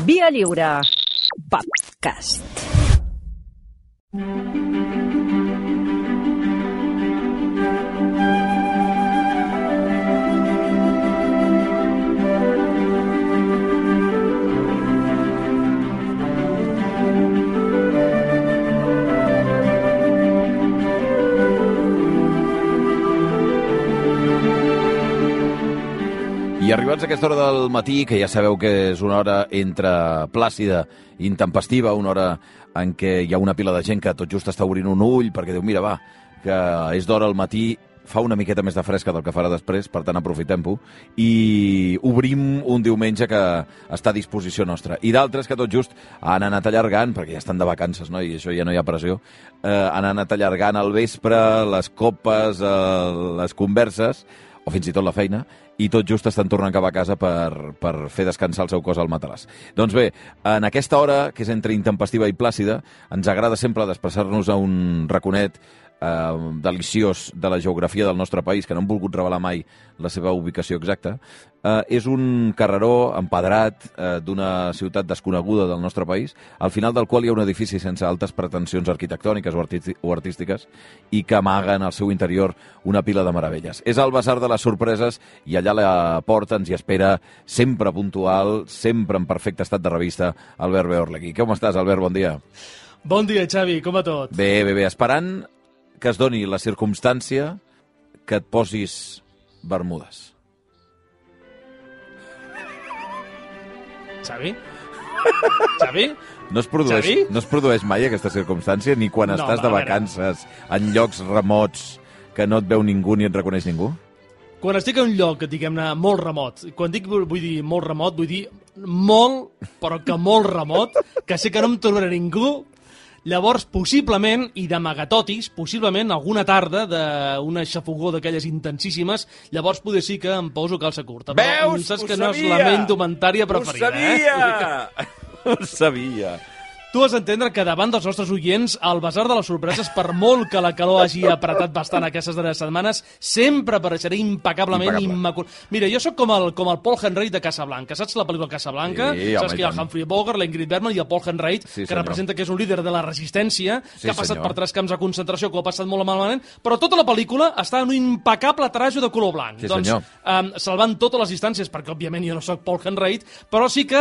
Via Lliure Podcast. I arribats a aquesta hora del matí, que ja sabeu que és una hora entre plàcida i intempestiva, una hora en què hi ha una pila de gent que tot just està obrint un ull perquè diu, mira, va, que és d'hora al matí, fa una miqueta més de fresca del que farà després, per tant aprofitem-ho, i obrim un diumenge que està a disposició nostra. I d'altres que tot just han anat allargant, perquè ja estan de vacances, no? I això ja no hi ha pressió, han anat allargant al vespre, les copes, les converses, o fins i tot la feina, i tot just estan tornant cap a casa per fer descansar el seu cos al matalàs. Doncs bé, en aquesta hora, que és entre intempestiva i plàcida, ens agrada sempre desplaçar-nos a un raconet deliciós de la geografia del nostre país, que no hem volgut revelar mai la seva ubicació exacta. És un carreró empedrat d'una ciutat desconeguda del nostre país, al final del qual hi ha un edifici sense altes pretensions arquitectòniques o artístiques i que amaguen al seu interior una pila de meravelles. És el Basar de les Sorpreses i allà a la porta ens hi espera, sempre puntual, sempre en perfecte estat de revista, Albert Beorlegui. Com estàs, Albert? Bon dia. Bon dia, Xavi. Com va tot? Bé. Esperant que es doni la circumstància que et posis bermudes. Xavi? Xavi? No es produeix mai aquesta circumstància, ni quan estàs de vacances en llocs remots que no et veu ningú ni et reconeix ningú? Quan estic en un lloc, diguem-ne, molt remot, quan dic vull dir molt remot, vull dir molt, però que molt remot, que sé que no em tornarà ningú. Llavors, possiblement, i d'amagatotis, possiblement alguna tarda d'una xafogó d'aquelles intensíssimes, llavors poder sí que em poso calça curta. Veus? Saps que no és la meva indumentària preferida, Ho sabia! Tu has d'entendre que davant dels nostres oients, el Basar de les Sorpreses, per molt que la calor hagi apretat bastant aquestes darreres setmanes, sempre apareixeré impecablement immaculat. Mira, jo sóc com el Paul Henreid de Casablanca. Saps la pel·lícula Casablanca? Sí, saps que hi ha el Humphrey Bogart, la Ingrid Bergman i el Paul Henreid, que representa que és un líder de la resistència, que ha passat per 3 camps de concentració, que ho ha passat molt malament, però tota la pel·lícula està en un impecable trajo de color blanc. Sí, doncs, salvant totes les distàncies, perquè òbviament jo no sóc Paul Henreid, però sí que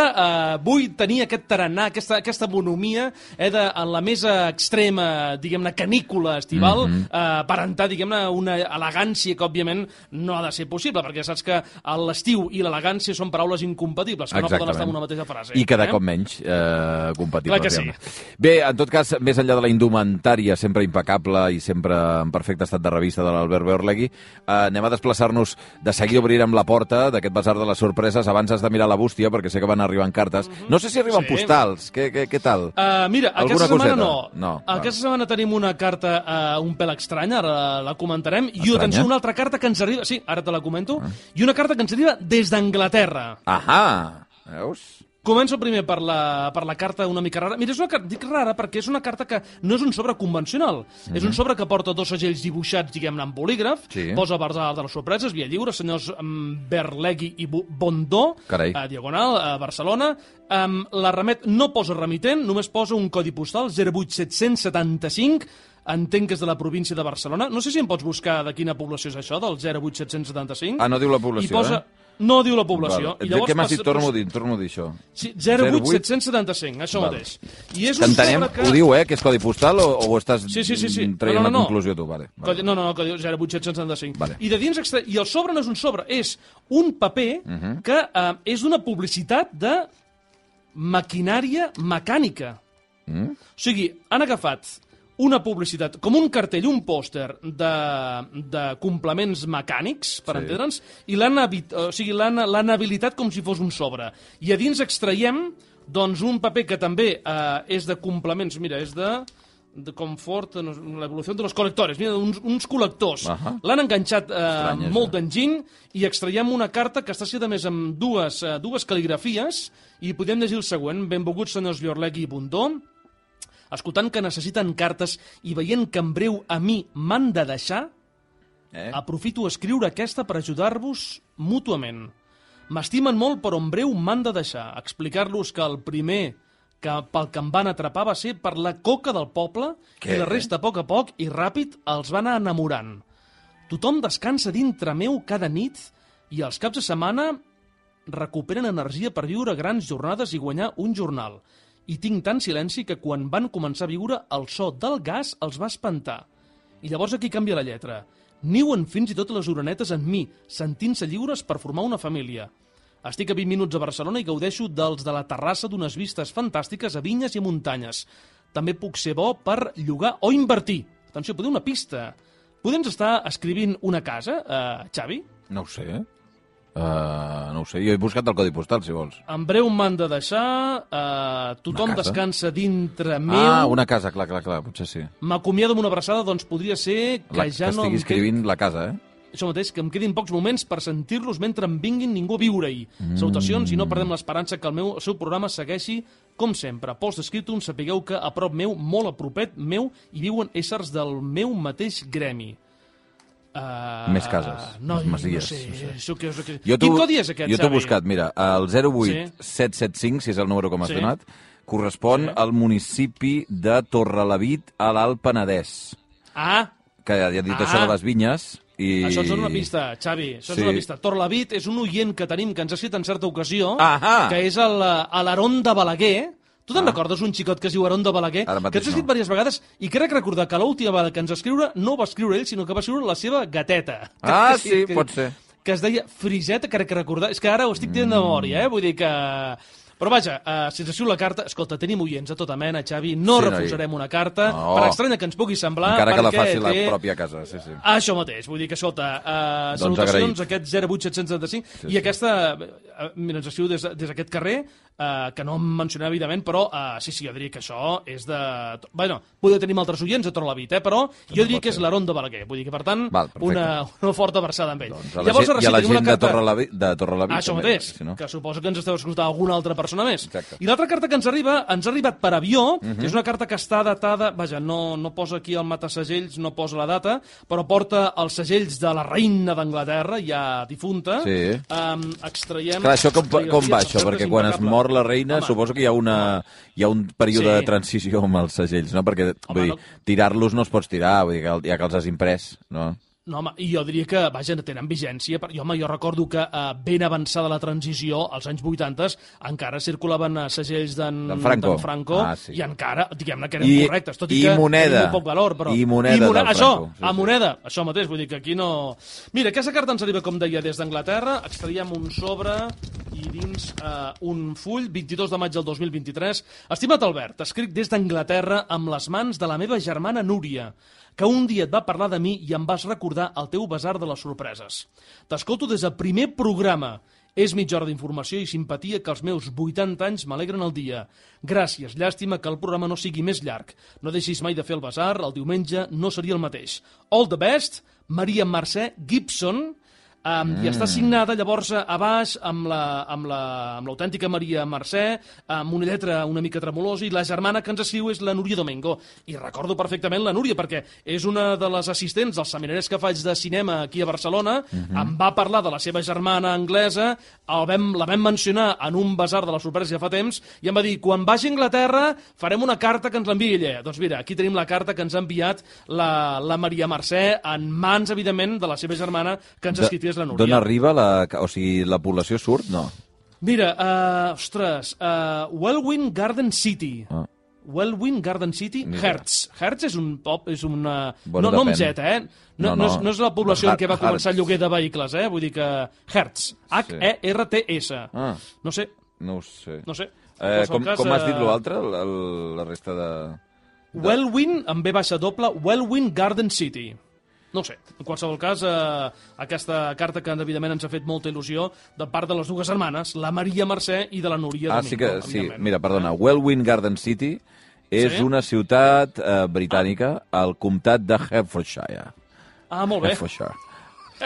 vull tenir aquest tarannà, aquesta bonomia en la més extrema, diguem-ne, canícula estival, aparentar, diguem-ne, una elegància que, òbviament, no ha de ser possible, perquè saps que l'estiu i l'elegància són paraules incompatibles, que no poden estar en una mateixa frase. I cada cop menys compatibles. Clar que sí. Bé, en tot cas, més enllà de la indumentària, sempre impecable i sempre en perfecte estat de revista de l'Albert Beorlegui, anem a desplaçar-nos, de seguida obrirem la porta d'aquest Basar de les Sorpreses, abans has de mirar la bústia, perquè sé que van arribant cartes. No sé si arriben postals, què tal? Mira, aquesta setmana no. Aquesta setmana tenim una carta un pèl estranya, ara la comentarem, i atenció, una altra carta que ens arriba... Sí, ara te la comento. I una carta que ens arriba des d'Anglaterra. Ahà, veus? Començo primer per la carta una mica rara. Mira, és una carta, dic rara perquè és una carta que no és un sobre convencional. És un sobre que porta 2 segells dibuixats, diguem-ne, en bolígraf. Posa Basar de les Sorpreses, Via Lliure, senyors Berlegui i Bondó, diagonal, a Barcelona. La remet no posa remitent, només posa un codi postal, 08775, entenc que és de la província de Barcelona. No sé si em pots buscar de quina població és això, del 08775. Ah, no diu la població, No diu la població. I llavors, què m'has dit? Torno a dir això. Sí, 08775, això mateix. I és t'entenem, ho diu, que és codi postal o ho estàs traient una conclusió tu? No, codi 08775. I de dins i el sobre no és un sobre, és un paper que és una publicitat de maquinària mecànica. O sigui, han agafat una publicitat, com un cartell, un pòster de complements mecànics, per entendre'ns, i l'han habilitat com si fos un sobre. I a dins extraiem doncs, un paper que també és de complements, mira, és de confort, l'evolució de los col·lectors, mira, uns col·lectors. L'han enganxat molt d'enginy i extraiem una carta que està escrita més amb dues cal·ligrafies i podem llegir el següent. Benvolguts senyors Beorlegui i Bondó, escoltant que necessiten cartes i veient que en breu a mi m'han de deixar, aprofito a escriure aquesta per ajudar-vos mútuament. M'estimen molt, però en breu m'han de deixar. Explicar-los que el primer pel que em van atrapar va ser per la coca del poble i la resta, a poc i ràpid, els va anar enamorant. Tothom descansa dintre meu cada nit i els caps de setmana recuperen energia per viure grans jornades i guanyar un jornal. I tinc tant silenci que quan van començar a viure el so del gas els va espantar. I llavors aquí canvia la lletra. Niuen fins i tot les orenetes en mi, sentint-se lliures per formar una família. Estic a 20 minuts a Barcelona i gaudeixo dels de la terrassa d'unes vistes fantàstiques a vinyes i a muntanyes. També puc ser bo per llogar o invertir. Atenció, podeu una pista. Podem estar escrivint una casa, Xavi? No ho sé. No ho sé, jo he buscat el codi postal, si vols. En breu m'han de deixar, tothom descansa dintre meu... Ah, una casa, clar, potser sí. M'acomiado amb una abraçada, doncs podria ser que ja no... Que estigui escrivint la casa, Això mateix, que em quedin pocs moments per sentir-los mentre em vinguin ningú a viure-hi. Salutacions i no perdem l'esperança que el seu programa segueixi com sempre. Pols d'Escriptum, sapigueu que a prop meu, molt a propet meu, hi viuen éssers del meu mateix gremi. Més cases, més masies. No sé. Quin codi és aquest, Jo t'ho he buscat, mira, el 08775, si és el número com has donat, correspon al municipi de Torrelavit, a l'Alt Penedès. Que ja he dit això de les vinyes. Això ens dona una pista, Xavi. Això és una pista. Torrelavit és un oient que tenim, que ens ha escrit en certa ocasió, que és a l'Aron de Balaguer. Tu te'n recordes un xicot que es diu Aron de Balaguer? Que ens ha escrit diverses vegades i crec recordar que l'última vegada que ens va escriure no va escriure ell, sinó que va escriure la seva gateta. Sí, pot ser. Que es deia Friseta, crec que recordar. És que ara ho estic dient de memòria, vull dir que... Però vaja, si ens escriu la carta... Escolta, tenim oients a tota mena, Xavi. No refusarem una carta, per estranya que ens pugui semblar... Encara que la faci la pròpia casa, sí. Això mateix, vull dir que, escolta, salutacions a aquest 08775 i aquesta... Mira, ens escriu des d'aquest carrer, que no em mencionem, evidentment, però sí, jo diria que això és de... Bueno, podeu tenir altres oients a Torrelavit, però jo diria que és l'Aron de Balaguer. Vull dir que, per tant, una forta versada amb ell. I a la gent de Torrelavit. Això mateix, que suposo que ens esteu escoltant alguna altra persona més. I l'altra carta que ens ha arribat per avió, és una carta que està datada, vaja, no posa aquí el matasegells, no posa la data, però porta els segells de la reina d'Anglaterra, ja difunta. Extraiem... Clar, això com va, això? Perquè quan es mor la reina, suposo que hi ha un període de transició amb els segells, no? Perquè, vull dir, tirar-los no els pots tirar, vull dir, ja que els has imprès, no? No, home, i jo diria que, vaja, tenen vigència. Jo recordo que ben avançada la transició, als anys 80, encara circulaven segells d'en Franco, i encara, diguem-ne, que eren correctes, tot i que tenien poc valor. I moneda del Franco. Moneda, això mateix, vull dir que aquí no... Mira, aquesta carta ens arriba, com deia, des d'Anglaterra, extraiem un sobre i dins un full, 22 de maig del 2023. Estimat Albert, escric des d'Anglaterra amb les mans de la meva germana Núria, que un dia et va parlar de mi i em vas recordar el teu basar de les sorpreses. T'escolto des del primer programa. És mitja hora d'informació i simpatia que els meus 80 anys m'alegren el dia. Gràcies, llàstima que el programa no sigui més llarg. No deixis mai de fer el basar, el diumenge no seria el mateix. All the best, Maria Mercè Gibson, i està signada llavors a baix amb l'autèntica Maria Mercè, amb una lletra una mica tremolosa, i la germana que ens escriu és la Núria Domingo. I recordo perfectament la Núria, perquè és una de les assistents dels seminaris que faig de cinema aquí a Barcelona. Em va parlar de la seva germana anglesa, la vam mencionar en un basar de la sorpresa ja fa temps, i em va dir, quan vagi a Anglaterra farem una carta que ens l'enviï ella. Doncs mira, aquí tenim la carta que ens ha enviat la Maria Mercè, en mans, evidentment, de la seva germana, que ens ha escrit la Núria. D'on arriba o sigui, la població surt? No. Mira, Welwyn Garden City. Welwyn Garden City, Herts. Herts és un pop, és una... No amb Z, No és la població en què va començar el lloguer de vehicles, Vull dir que... Herts. H-E-R-T-S. No sé. No ho sé. No sé. Com has dit l'altre, la resta de... Welwyn, amb B baixa doble, Welwyn Garden City. No sé, en qualsevol cas, aquesta carta que evidentment ens ha fet molta il·lusió de part de les dues germanes, la Maria Mercè i de la Núria Domingo. Sí, mira, perdona, Welwyn Garden City és una ciutat britànica al comtat de Hertfordshire. Molt bé. Hertfordshire.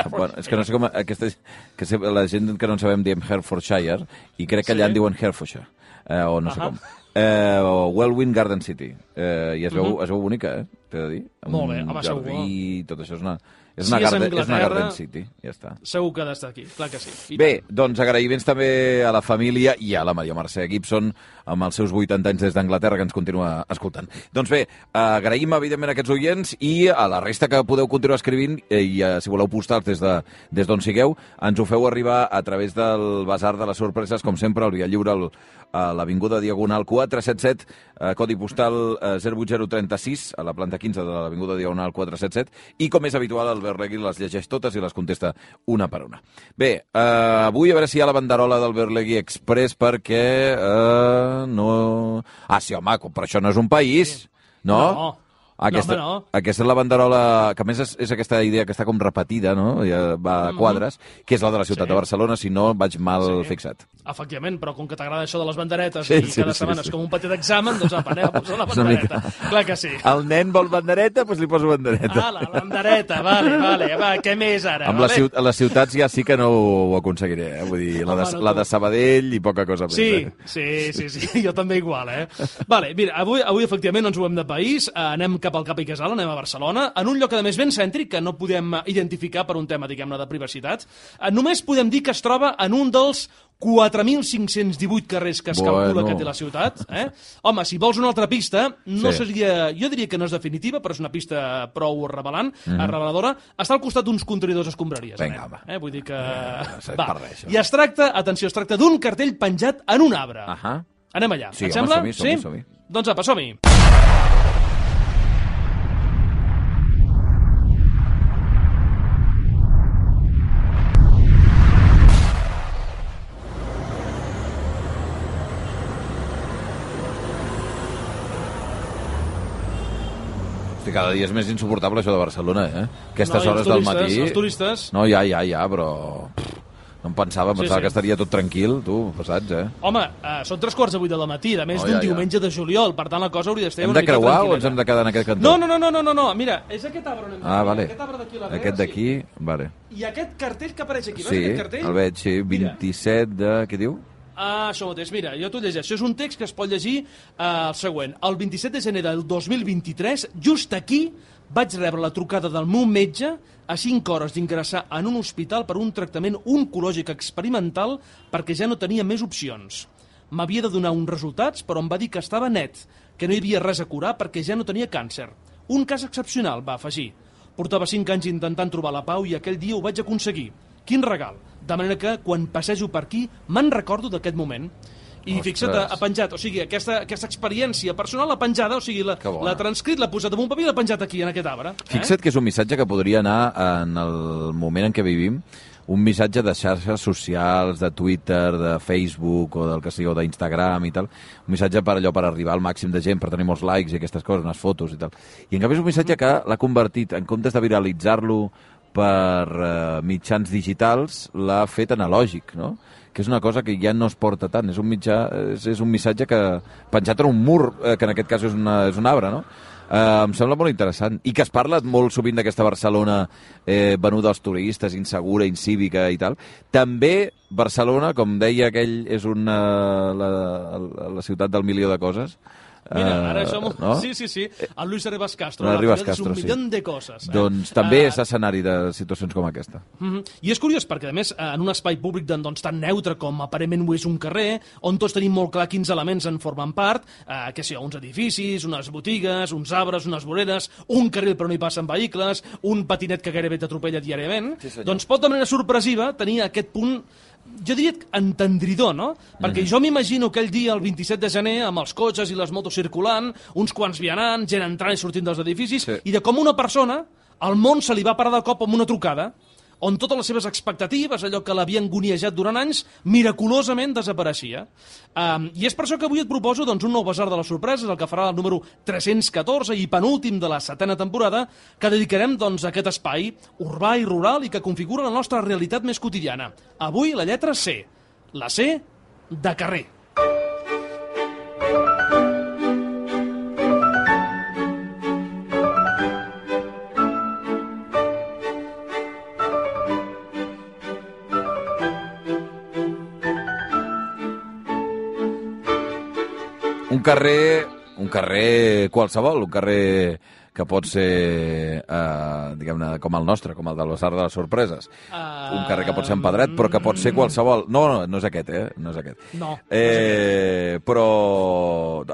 Bueno, és que no sé com... La gent que no en sabem diem Hertfordshire i crec que allà en diuen Hertfordshire, o no sé com. Wellwyn Garden City. I es veu bonica, t'he de dir. Molt bé, home, segur. I tot això és una Anglaterra, Garden City, ja està. Segur que ha d'estar aquí, clar que sí. Bé, doncs agraïments també a la família i a la Maria Mercè Gibson amb els seus 80 anys des d'Anglaterra que ens continua escoltant. Doncs bé, agraïm evidentment a aquests oients i a la resta que podeu continuar escrivint i si voleu postar des d'on sigueu, ens ho feu arribar a través del Basar de les Sorpreses, com sempre, al Via Lliure, a l'Avinguda Diagonal 477, codi postal 08036, a la planta 15 de l'Avinguda Diagonal 477, i com és habitual, Albert Regui les llegeix totes i les contesta una per una. Bé, avui a veure si hi ha la banderola d'Albert Legui Express perquè no... Ah, sí, home, però això no és un país, no? No. Aquesta és la banderola, que a més és aquesta idea que està com repetida, no? Ja va a quadres, que és la de la ciutat de Barcelona, si no vaig mal fixat. Efectivament, però com que t'agrada això de les banderetes i cada setmana és com un petit examen, doncs anem a posar la bandereta. Clar que sí. El nen vol bandereta, doncs li poso bandereta. Ah, la bandereta, vale. Va, què més ara? Amb les ciutats ja sí que no ho aconseguiré, vull dir, la de Sabadell i poca cosa més. Sí, jo també igual, Vale, mira, avui efectivament no ens movem de país, anem cap al Cap i Casal, anem a Barcelona, en un lloc a més ben cèntric que no podem identificar per un tema, diguem-ne, de privacitat. Només podem dir que es troba en un dels 4.518 carrers que es calcula que té la ciutat. Home, si vols una altra pista, no seria... Jo diria que no és definitiva, però és una pista prou reveladora. Està al costat d'uns contenidors escombraries. Vinga, va. Vull dir que... I es tracta, atenció, d'un cartell penjat en un arbre. Anem allà. Et sembla? Som-hi. Doncs apa, som-hi. Cada dia és més insuportable això de Barcelona, Aquestes hores del matí... Els turistes... No, ja, però... No em pensava que estaria tot tranquil, tu, passats, Home, són 3:15 del matí, a més d'un diumenge de juliol, per tant la cosa hauria d'estar una mica tranquil·leta. Hem de creuar o ens hem de quedar en aquest cantó? No, mira, és aquest arbre on hem de quedar. Vale. Aquest arbre d'aquí a la dreta. Aquest d'aquí, vale. I aquest cartell que apareix aquí, veus aquest cartell? Sí, el veig, 27 de... Què diu? Això mateix, mira, jo t'ho llegeixo. És un text que es pot llegir el següent. El 27 de gener del 2023, just aquí, vaig rebre la trucada del meu metge a 5 hores d'ingressar en un hospital per un tractament oncològic experimental perquè ja no tenia més opcions. M'havia de donar uns resultats, però em va dir que estava net, que no hi havia res a curar perquè ja no tenia càncer. Un cas excepcional, va afegir. Portava 5 anys intentant trobar la pau i aquell dia ho vaig aconseguir. Quin regal! De manera que, quan passejo per aquí, me'n recordo d'aquest moment. I fixa't, ha penjat, o sigui, aquesta experiència personal l'ha penjada, o sigui, l'ha transcrit, l'ha posat en un paper i l'ha penjat aquí, en aquest arbre. Fixa't que és un missatge que podria anar en el moment en què vivim, un missatge de xarxes socials, de Twitter, de Facebook, o del que sigui, o d'Instagram i tal, un missatge per arribar al màxim de gent, per tenir molts likes i aquestes coses, unes fotos i tal. I en canvi és un missatge que l'ha convertit, en comptes de viralitzar-lo per mitjans digitals, l'ha fet analògic, no? Que és una cosa que ja no es porta tant. És un missatge que penjat en un mur, que en aquest cas és un arbre, no? Em sembla molt interessant. I que es parla molt sovint d'aquesta Barcelona venuda als turistes, insegura, incívica i tal. També Barcelona, com deia aquell, és la ciutat del milió de coses. Mira, ara som... No? Sí. El Luis Rivas Castro. És un milió de coses. Doncs també és escenari de situacions com aquesta. I és curiós perquè, a més, en un espai públic tan neutre com aparentment ho és un carrer, on tots tenim molt clar quins elements en formen part, que sigui, uns edificis, unes botigues, uns arbres, unes voreres, un carril però no hi passen vehicles, un patinet que gairebé t'atropella diàriament, doncs pot de manera sorpresiva tenir aquest punt, jo diria entendridor, no? Perquè jo m'imagino aquell dia, el 27 de gener, amb els cotxes i les motos circulant, uns quants vianants, gent entrant i sortint dels edificis, i de com una persona, al món se li va parar de cop amb una trucada, on totes les seves expectatives, allò que l'havia angoniejat durant anys, miraculosament desapareixia. I és per això que avui et proposo un nou basar de les sorpreses, el que farà el número 314 i penúltim de la 7ª temporada, que dedicarem a aquest espai urbà i rural i que configura la nostra realitat més quotidiana. Avui la lletra C. La C de carrer. Un carrer qualsevol, un carrer que pot ser, diguem-ne, com el nostre, com el del Basar de les Sorpreses. Un carrer que pot ser empedrat, però que pot ser qualsevol. No és aquest, No és aquest. No. Però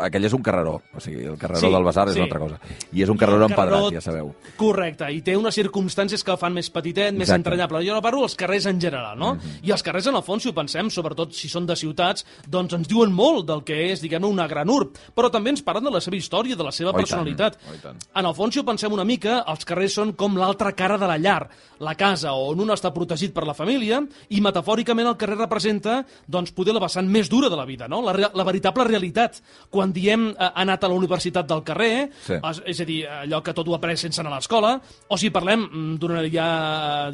aquell és un carreró. O sigui, el carreró del Basar és una altra cosa. I és un carreró empedrat, ja sabeu. Correcte, i té unes circumstàncies que el fan més petitet, més entranyable. Jo no parlo dels carrers en general, no? I els carrers, en el fons, si ho pensem, sobretot si són de ciutats, doncs ens diuen molt del que és, diguem-ne, una gran urb. Però també ens parlen de la seva història, de la seva personalitat. En el fons, si ho pensem una mica, els carrers són com l'altra cara de la llar, la casa on un està protegit per la família, i metafòricament el carrer representa, doncs, poder la vessant més dura de la vida, no? La veritable realitat. Quan diem ha anat a la universitat del carrer, és a dir, allò que tot ho après sense anar a l'escola, o si parlem d'una ja,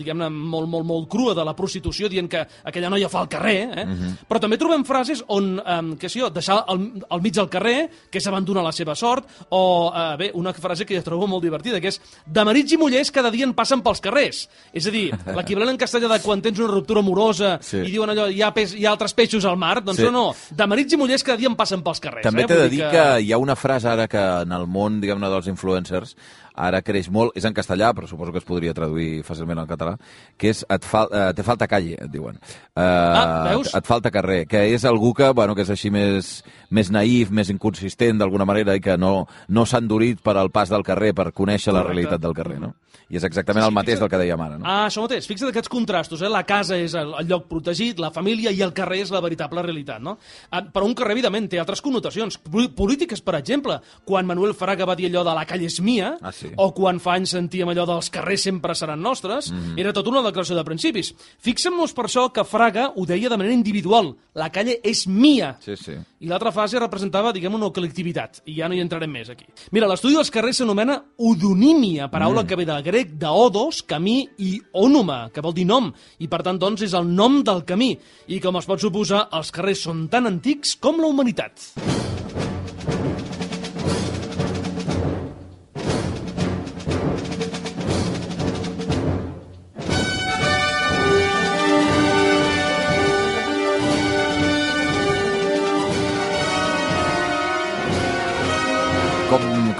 diguem-ne, molt crua de la prostitució, dient que aquella noia fa al carrer, però també trobem frases on, deixar al mig del carrer, que és abandonar la seva sort, o, una frase que jo trobo molt divertida, que és de marits i mullers cada dia en passen pels carrers. És a dir, l'equivalent en castellà de quan tens una ruptura amorosa i diuen allò, hi ha altres peixos al mar, doncs no, de marits i mullers cada dia en passen pels carrers. També t'he de dir que hi ha una frase ara que en el món, diguem-ne, dels influencers, ara creix molt, és en castellà, però suposo que es podria traduir fàcilment al català, que és te falta calle, et diuen. Veus? Et falta carrer, que és algú que és així més naïf, més inconsistent d'alguna manera i que no s'ha endurit per al pas del carrer, per conèixer la realitat del carrer, no? I és exactament el mateix del que dèiem ara, no? Això mateix. Fixa't aquests contrastos, La casa és el lloc protegit, la família, i el carrer és la veritable realitat, no? Però un carrer, evidentment, té altres connotacions polítiques, per exemple. Quan Manuel Fraga va dir allò de la calle és mia, o quan fa anys sentíem allò dels carrers sempre seran nostres, era tota una declaració de principis. Fixem-nos per això que Fraga ho deia de manera individual. La calle és mia. I l'altra fase representava, diguem, una col·lectivitat. I ja no hi entrarem més aquí. Mira, l'estudi dels carrers s'anomena odonímia, paraula que ve del grec d'odos, camí, i ònoma, que vol dir nom, i per tant, doncs, és el nom del camí. I com es pot suposar, els carrers són tan antics com la humanitat.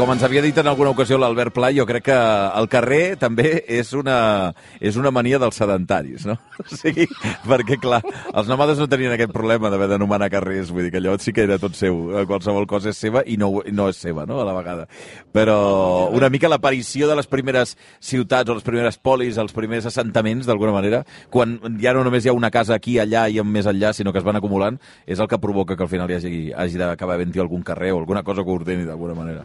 Com ens havia dit en alguna ocasió l'Albert Pla, jo crec que el carrer també és una mania dels sedentaris, no? O sigui, perquè, clar, els nòmades no tenien aquest problema d'haver d'anomenar carrers, vull dir que allò sí que era tot seu, qualsevol cosa és seva i no és seva, no?, a la vegada. Però una mica l'aparició de les primeres ciutats o les primeres polis, els primers assentaments, d'alguna manera, quan ja no només hi ha una casa aquí, allà i més enllà, sinó que es van acumulant, és el que provoca que al final hagi d'acabar havent-hi algun carrer o alguna cosa que ordeni d'alguna manera.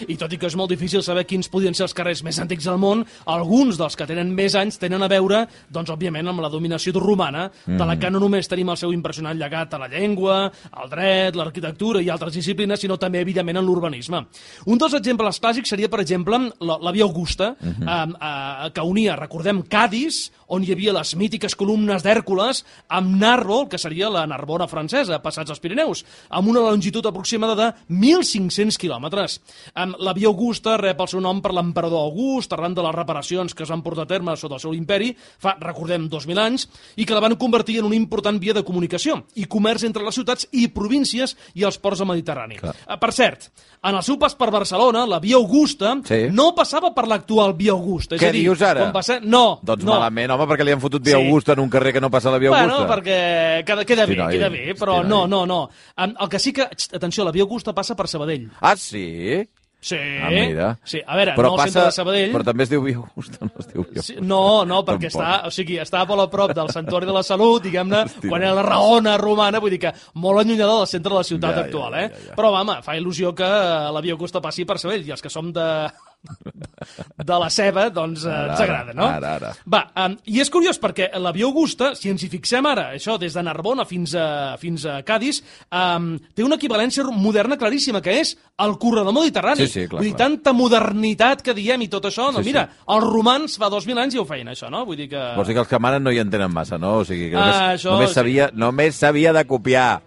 I tot i que és molt difícil saber quins podrien ser els carrers més antics del món, alguns dels que tenen més anys tenen a veure, doncs, òbviament, amb la dominació romana, de la que no només tenim el seu impressionant llegat a la llengua, al dret, l'arquitectura i altres disciplines, sinó també, evidentment, en l'urbanisme. Un dels exemples clàssics seria, per exemple, la Via Augusta, que unia, recordem, Cadis, on hi havia les mítiques columnes d'Hèrcules, amb Narbo, que seria la Narbona francesa, passats els Pirineus, amb una longitud aproximada de 1.500 quilòmetres. La Via Augusta rep el seu nom per l'emperador August, arran de les reparacions que es van portar a terme sota el seu imperi, fa, recordem, 2.000 anys, i que la van convertir en una important via de comunicació i comerç entre les ciutats i províncies i els ports del Mediterrani. Per cert, en el seu pas per Barcelona, la Via Augusta no passava per l'actual Via Augusta. Què dius ara? No. Doncs malament, home, perquè li han fotut Via Augusta en un carrer que no passa a la Via Augusta. Bueno, perquè queda bé, però no. El que sí que, atenció, la Via Augusta passa per Sabadell. Ah, sí? Sí. Mira. Sí, a veure, però no al centre de Sabadell. Però també es diu Via Augusta, no es diu Via Augusta. No, perquè està molt a prop del Santuari de la Salut, diguem-ne, quan era la Raona romana, vull dir que molt allunyada del centre de la ciutat actual, Però, home, fa il·lusió que la Via Augusta passi per Sabadell, i els que som de la ceba, doncs ens agrada, no? Ara. Va, i és curiós perquè la Via Augusta, si ens hi fixem ara, això des de Narbona fins a Cadis, té una equivalència moderna claríssima, que és el corredor mediterrani. Sí, clar. Vull dir, tanta modernitat que diem i tot això, no? Mira, els romans fa 2.000 anys ja ho feien, això, no? Vull dir que... Vols dir que els que manen no hi entenen massa, no? O sigui, que només s'havia de copiar.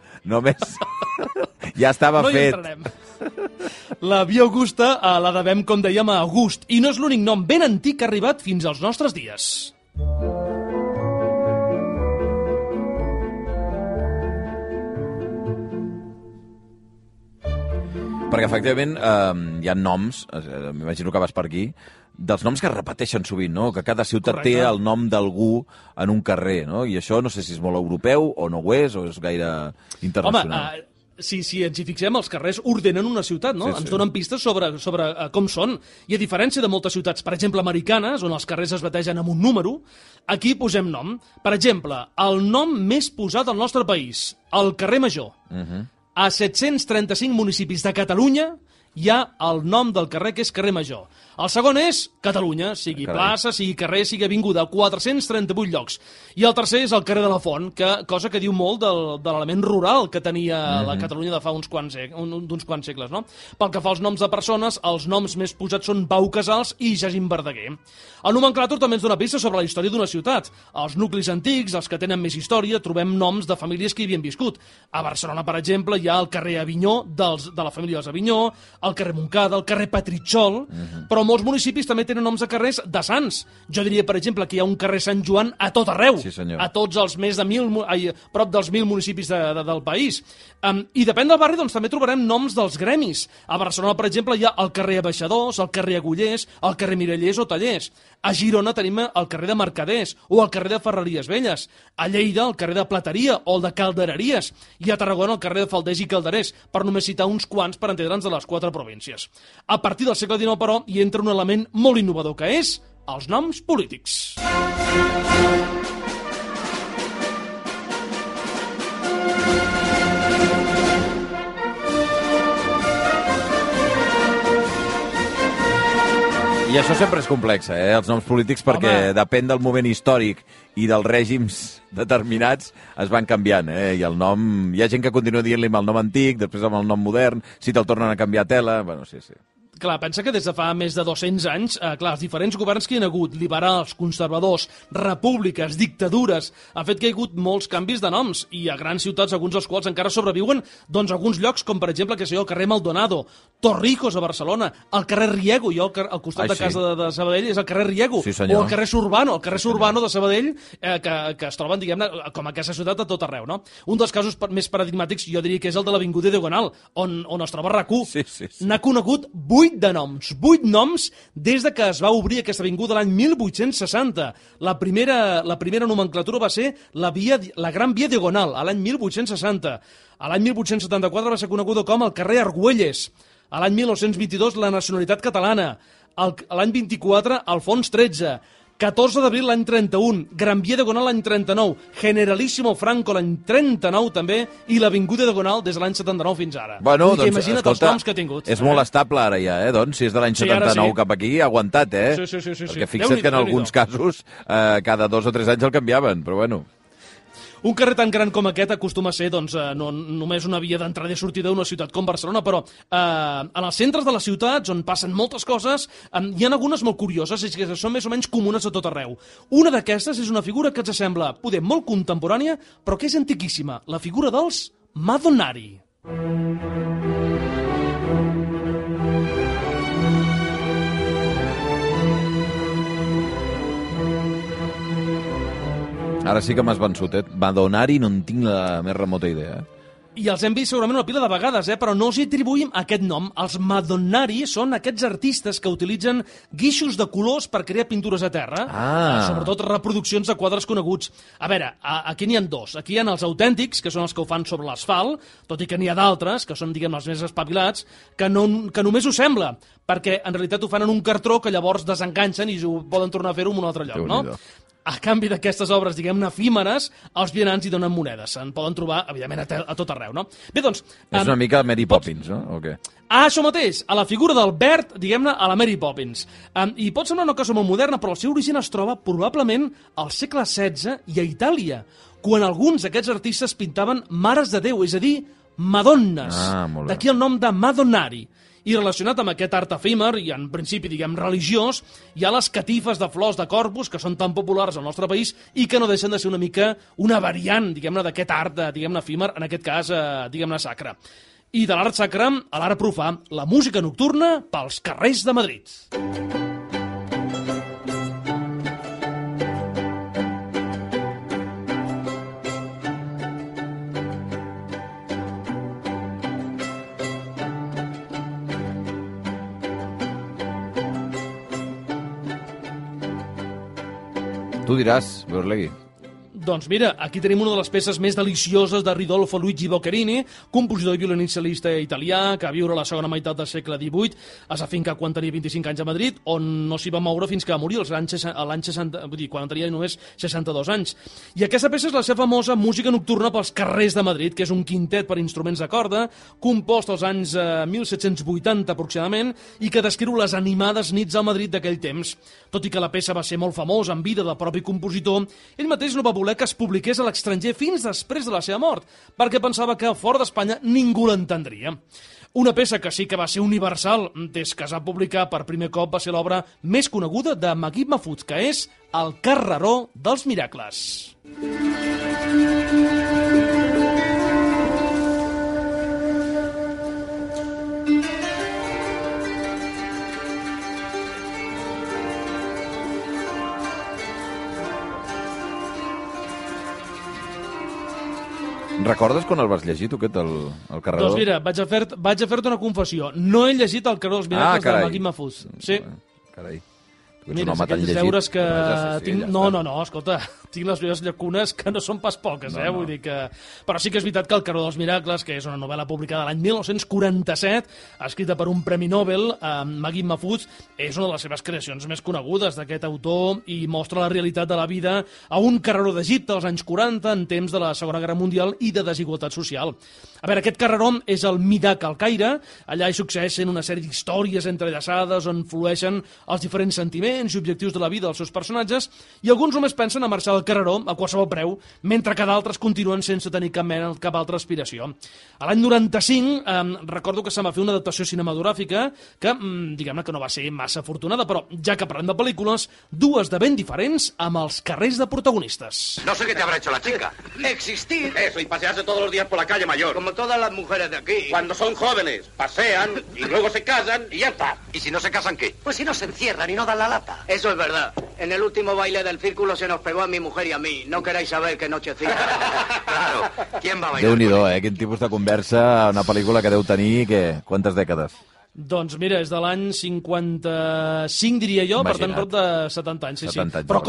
Ja estava fet. No hi entrarem. La Via Augusta la devem, com dèiem, a August, i no és l'únic nom ben antic que ha arribat fins als nostres dies. perquè efectivament hi ha noms, m'imagino que vas per aquí, dels noms que es repeteixen sovint, no? Que cada ciutat té el nom d'algú en un carrer, no? I això no sé si és molt europeu o no ho és, o és gaire internacional. Home, si ens hi fixem, els carrers ordenen una ciutat, no? Ens donen pistes sobre com són. I a diferència de moltes ciutats, per exemple, americanes, on els carrers es bategen amb un número, aquí posem nom. Per exemple, el nom més posat al nostre país, el carrer Major. A 735 municipis de Catalunya hi ha el nom del carrer, que és carrer Major. El segon és Catalunya, sigui plaça, sigui carrer, sigui avinguda, 438 llocs. I el tercer és el carrer de la Font, cosa que diu molt de l'element rural que tenia la Catalunya de fa d'uns quants segles, no? Pel que fa als noms de persones, els noms més posats són Pau Casals i Jacint Verdaguer. El nomenclàtor també ens dona pistes sobre la història d'una ciutat. Als nuclis antics, els que tenen més història, trobem noms de famílies que hi havien viscut. A Barcelona, per exemple, hi ha el carrer Avinyó, de la família dels Avinyó, el carrer Montcada, el carrer Petritxol, però molts municipis també tenen noms de carrers de sants. Jo diria, per exemple, que hi ha un carrer Sant Joan a tot arreu, a tots els més de prop dels 1.000 municipis del país. I depèn del barri, doncs també trobarem noms dels gremis. A Barcelona, per exemple, hi ha el carrer Abaixadors, el carrer Agullers, el carrer Mirallers o Tallers. A Girona tenim el carrer de Mercaders o el carrer de Ferreries Velles. A Lleida, el carrer de Plateria o el de Caldereries. I a Tarragona, el carrer de Falders i Calderers, per només citar uns quants per entendre'ns de les 4 províncies. A partir del segle XIX, però, hi entra un element molt innovador, que és els noms polítics. I això sempre és complex, els noms polítics, perquè depèn del moment històric i dels règims determinats es van canviant, i el nom... Hi ha gent que continua dient-li amb el nom antic, després amb el nom modern, si te'l tornen a canviar a tela... Bueno, sí. Clar, pensa que des de fa més de 200 anys, els diferents governs que hi ha hagut, liberals, conservadors, repúbliques, dictadures, han fet que hi ha hagut molts canvis de noms, i a grans ciutats, alguns dels quals encara sobreviuen, doncs alguns llocs, com per exemple, el carrer Maldonado, Torrijos a Barcelona, el carrer Riego, jo al costat de casa de Sabadell és el carrer Riego, o el carrer Surbano de Sabadell, que es troben, diguem-ne, com a aquesta ciutat a tot arreu, no? Un dels casos més paradigmàtics, jo diria que és el de l'Avinguda Diagonal, on es troba RAC1. N'ha conegut 8 noms des de que es va obrir aquesta avinguda l'any 1860. La primera nomenclatura va ser la Gran Via Diagonal, a l'any 1860. A l'any 1874 va ser coneguda com el carrer Argüelles. A l'any 1922, la nacionalitat catalana. A l'any 24, Alfons XIII. 14 d'abril l'any 31, Gran Via Diagonal l'any 39, Generalíssimo Franco l'any 39 també, i l'Avinguda Diagonal des de l'any 79 fins ara. Bueno, doncs, imagina't els noms que ha tingut. És molt estable ara ja, doncs, si és de l'any 79 cap aquí, ha aguantat, Sí. Perquè fixa't que en alguns casos cada 2 o 3 anys el canviaven, però bueno... Un carrer tan gran com aquest acostuma a ser no només una via d'entrada i sortida d'una ciutat com Barcelona, però en els centres de les ciutats, on passen moltes coses, hi ha algunes molt curioses i que són més o menys comunes a tot arreu. Una d'aquestes és una figura que ens sembla poder molt contemporània, però que és antiquíssima, la figura dels Madonnari. Ara sí que m'has vençut, Madonnari no en tinc la més remota idea. I els hem vist segurament una pila de vegades, però no els atribuïm aquest nom. Els Madonnari són aquests artistes que utilitzen guixos de colors per crear pintures a terra, sobretot reproduccions de quadres coneguts. A veure, aquí n'hi ha 2. Aquí hi ha els autèntics, que són els que ho fan sobre l'asfalt, tot i que n'hi ha d'altres, que són, diguem, els més espavilats, que només ho sembla, perquè en realitat ho fan en un cartró que llavors desenganxen i ho poden tornar a fer-ho en un altre lloc, no? A canvi d'aquestes obres, diguem-ne, efímeres, els vianants hi donen monedes. Se'n poden trobar, evidentment, a tot arreu, no? Bé, doncs... És una mica Mary Poppins, no? O què? Això mateix, a la figura del Bert, diguem-ne, a la Mary Poppins. I pot semblar una cosa molt moderna, però el seu origen es troba probablement al segle XVI i a Itàlia, quan alguns d'aquests artistes pintaven mares de Déu, és a dir, madonnes. D'aquí el nom de Madonnari. I relacionat amb aquest art efímer, i en principi, diguem, religiós, hi ha les catifes de flors de Corpus, que són tan populars al nostre país i que no deixen de ser una mica una variant, diguem-ne, d'aquest art, diguem-ne, efímer, en aquest cas, diguem-ne, sacre. I de l'art sacre a l'art profà, la música nocturna pels carrers de Madrid. Tu diràs, Beorlegui. Doncs mira, aquí tenim una de les peces més delicioses de Ridolfo Luigi Boccherini, compositor i violoncel·lista italià que va viure a la segona meitat del segle XVIII, es va fincar quan tenia 25 anys a Madrid, on no s'hi va moure fins que va morir l'any 60, vull dir, quan tenia només 62 anys. I aquesta peça és la seva famosa música nocturna pels carrers de Madrid, que és un quintet per instruments de corda, compost als anys 1780 aproximadament, i que descriu les animades nits al Madrid d'aquell temps. Tot i que la peça va ser molt famosa en vida del propi compositor, ell mateix no va voler que es publiqués a l'estranger fins després de la seva mort, perquè pensava que fora d'Espanya ningú l'entendria. Una peça que sí que va ser universal des que es va publicar per primer cop va ser l'obra més coneguda de Magui Mahfouz, que és El carreró dels miracles. Recordes quan el vas llegir, tu, aquest, el carreró? Doncs mira, vaig a fer-te una confessió. No he llegit El carreró dels miracles de Magui Mahfouz. Sí. Carai. Mira, aquests deures que tinc... No, escolta, tinc les meves llacunes que no són pas poques, vull dir que... Però sí que és veritat que El carreró dels miracles, que és una novel·la publicada l'any 1947, escrita per un premi Nobel, Magui Mahfouz, és una de les seves creacions més conegudes d'aquest autor i mostra la realitat de la vida a un carreró d'Egipte als anys 40, en temps de la Segona Guerra Mundial i de desigualtat social. A veure, aquest carreró és el Midak al Caire, allà hi succeeixen una sèrie d'històries entrellaçades on flueixen els diferents sentiments i objectius de la vida dels seus personatges, i alguns només pensen a marxar al carreró a qualsevol preu, mentre que d'altres continuen sense tenir cap altra aspiració. A l'any 95 recordo que se'n va fer una adaptació cinematogràfica que, diguem-ne que no va ser massa afortunada, però ja que parlem de pel·lícules, dues de ben diferents amb els carrers de protagonistes. No sé qué te habrá hecho la chica. Existir. Eso, y pasearse todos los días por la calle Mayor. Como todas las mujeres de aquí. Cuando son jóvenes, pasean y luego se casan y ya está. ¿Y si no se casan qué? Pues si no se encierran y no dan la lata. Eso es verdad. En el último baile del círculo se nos pegó a mi mujer y a mí. No queráis saber qué nochecita. Claro. ¿Quién va a bailar? Déu-n'hi-do, quin tipus de conversa, una pel·lícula que deu tenir, quantes dècades? Doncs mira, és de l'any 55, diria jo, per tant, prop de 70 anys. Sí, 70 anys, però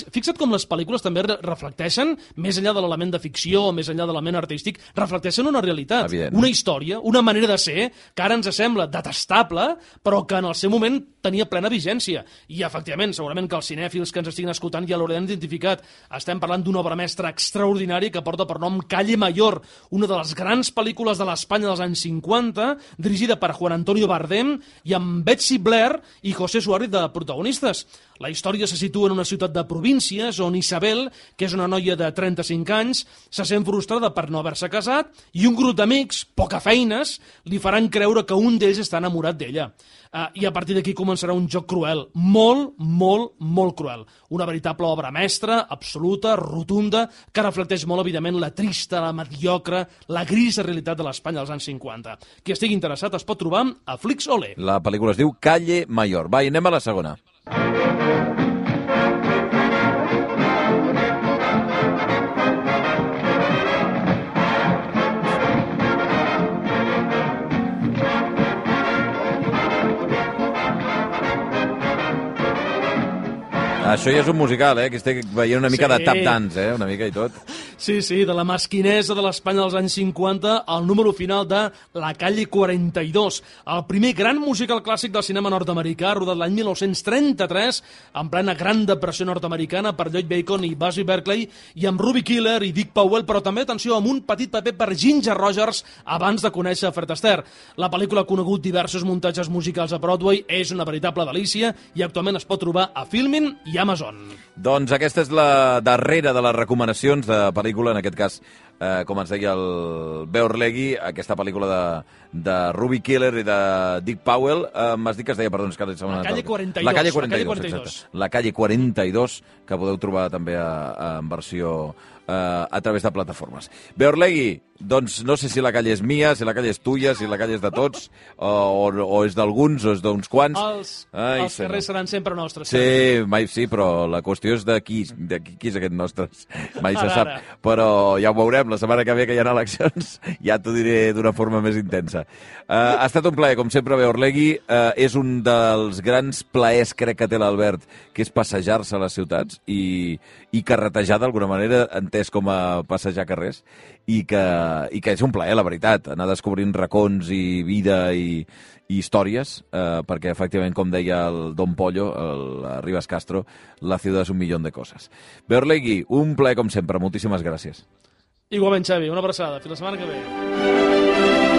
fixa't com les pel·lícules també reflecteixen, més enllà de l'element de ficció, més enllà de l'element artístic, reflecteixen una realitat, una història, una manera de ser que ara ens sembla detestable, però que en el seu moment tenia plena vigència. I, efectivament, segurament que els cinèfils que ens estiguin escoltant ja l'hauran identificat. Estem parlant d'una obra mestra extraordinària que porta per nom Calle Mayor, una de les grans pel·lícules de l'Espanya dels anys 50, dirigida per Juan Antonio Bardem i amb Betsy Blair i José Suárez de protagonistes. La història se situa en una ciutat de províncies on Isabel, que és una noia de 35 anys, se sent frustrada per no haver-se casat i un grup d'amics, poca feines, li faran creure que un d'ells està enamorat d'ella. I a partir d'aquí començarà un joc cruel, molt, molt, molt cruel. Una veritable obra mestra, absoluta, rotunda, que reflecteix molt, evidentment, la trista, la mediocre, la grisa realitat de l'Espanya dels anys 50. Qui estigui interessat es pot trobar a Flix Olé. La pel·lícula es diu Calle Mayor. Va, i anem a la segona. Això ja és un musical, que estic veient una mica de tap dance, una mica i tot. Sí, de la mesquinesa de l'Espanya dels anys 50, el número final de La Calle 42, el primer gran musical clàssic del cinema nord-americà, rodat l'any 1933, en plena Gran Depressió nord-americana, per Lloyd Bacon i Busby Berkeley, i amb Ruby Killer i Dick Powell, però també, atenció, amb un petit paper per Ginger Rogers abans de conèixer Fred Astaire. La pel·lícula ha conegut diversos muntatges musicals a Broadway, és una veritable delícia i actualment es pot trobar a Filmin i Amazon. Doncs aquesta és la darrera de les recomanacions de pel·lícula, en aquest cas, com ens deia el Beorlegui, aquesta pel·lícula de Ruby Killer i de Dick Powell. M'has dit que es deia, perdó, La Calle 42. La Calle 42, exacte. La Calle 42, que podeu trobar també en versió a través de plataformes. Beorlegui, doncs no sé si la calle és mia, si la calle és tuya, si la calle és de tots, o és d'alguns, o és d'uns quants. Els carrers seran sempre nostres. Sí, però la qüestió és de qui és aquest nostres. Mai se sap, però ja ho veurem. La setmana que ve que hi ha eleccions ja t'ho diré d'una forma més intensa. Ha estat un plaer, com sempre, Beorlegui. És un dels grans plaers, crec que té l'Albert, que és passejar-se a les ciutats i carretejar d'alguna manera, entès com a passejar carrers, i que és un plaer, la veritat, anar descobrint racons i vida i històries, perquè, efectivament, com deia el Don Pollo, el Rivas Castro, la ciutat és un millón de coses. Beorlegui, un plaer, com sempre. Moltíssimes gràcies. Igualment, Xavi, una abraçada. Fins la setmana que ve.